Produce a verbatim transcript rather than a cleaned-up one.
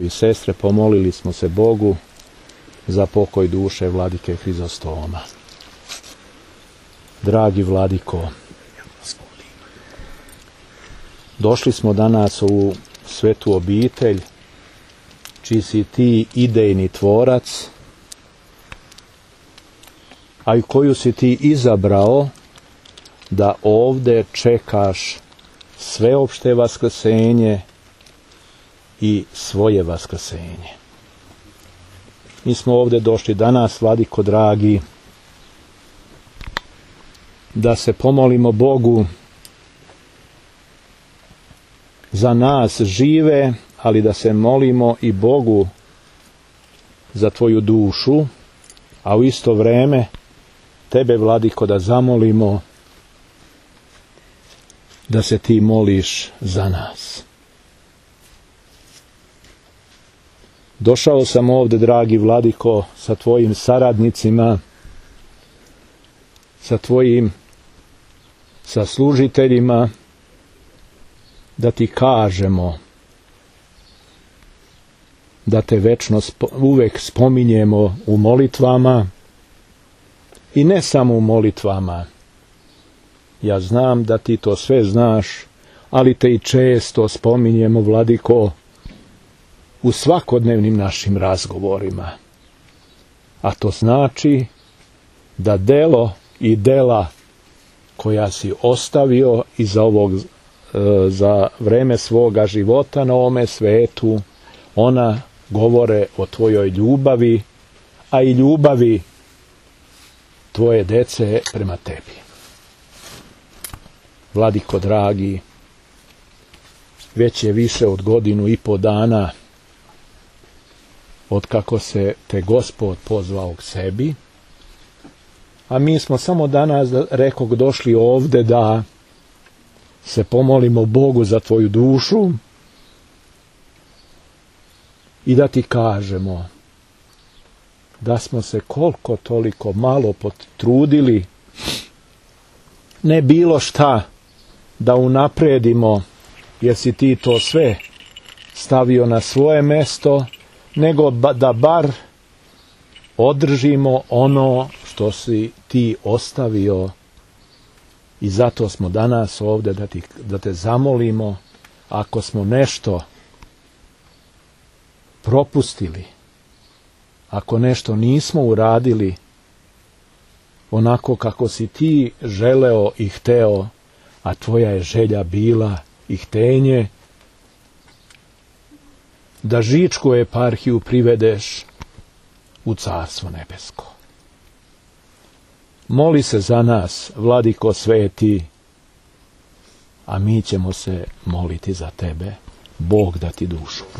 I sestre, pomolili smo se Bogu za pokoj duše vladike Hrizostoma. Dragi vladiko, došli smo danas u svetu obitelj, čiji si ti idejni tvorac, a i koju si ti izabrao da ovde čekaš sveopšte vaskrsenje i svoje vaskrsenje. Mi smo ovde došli danas, vladiko dragi, da se pomolimo Bogu za nas žive, ali da se molimo i Bogu za tvoju dušu, a u isto vreme tebe, vladiko, da zamolimo da se ti moliš za nas. Došao sam ovde, dragi vladiko, sa tvojim saradnicima, sa tvojim saslužiteljima, da ti kažemo da te večno spo, uvek spominjemo u molitvama, i ne samo u molitvama. Ja znam da ti to sve znaš, ali te i često spominjemo, vladiko, u svakodnevnim našim razgovorima. A to znači da delo i dela koja si ostavio iza ovog, e, za vreme svoga života na ovome svetu, ona govore o tvojoj ljubavi, a i ljubavi tvoje dece prema tebi. Vladiko dragi, već je više od godinu i po dana otkako se te Gospod pozvao k sebi, a mi smo samo danas, rekog, došli ovde da se pomolimo Bogu za tvoju dušu i da ti kažemo da smo se koliko toliko malo potrudili, ne bilo šta da unapredimo, jer si ti to sve stavio na svoje mesto, nego da bar održimo ono što si ti ostavio. I zato smo danas ovde da, ti, da te zamolimo, ako smo nešto propustili, ako nešto nismo uradili onako kako si ti želeo i hteo, a tvoja je želja bila i htenje, da Žičku eparhiju privedeš u Carstvo nebesko. Moli se za nas, vladiko sveti, a mi ćemo se moliti za tebe. Bog da ti dušu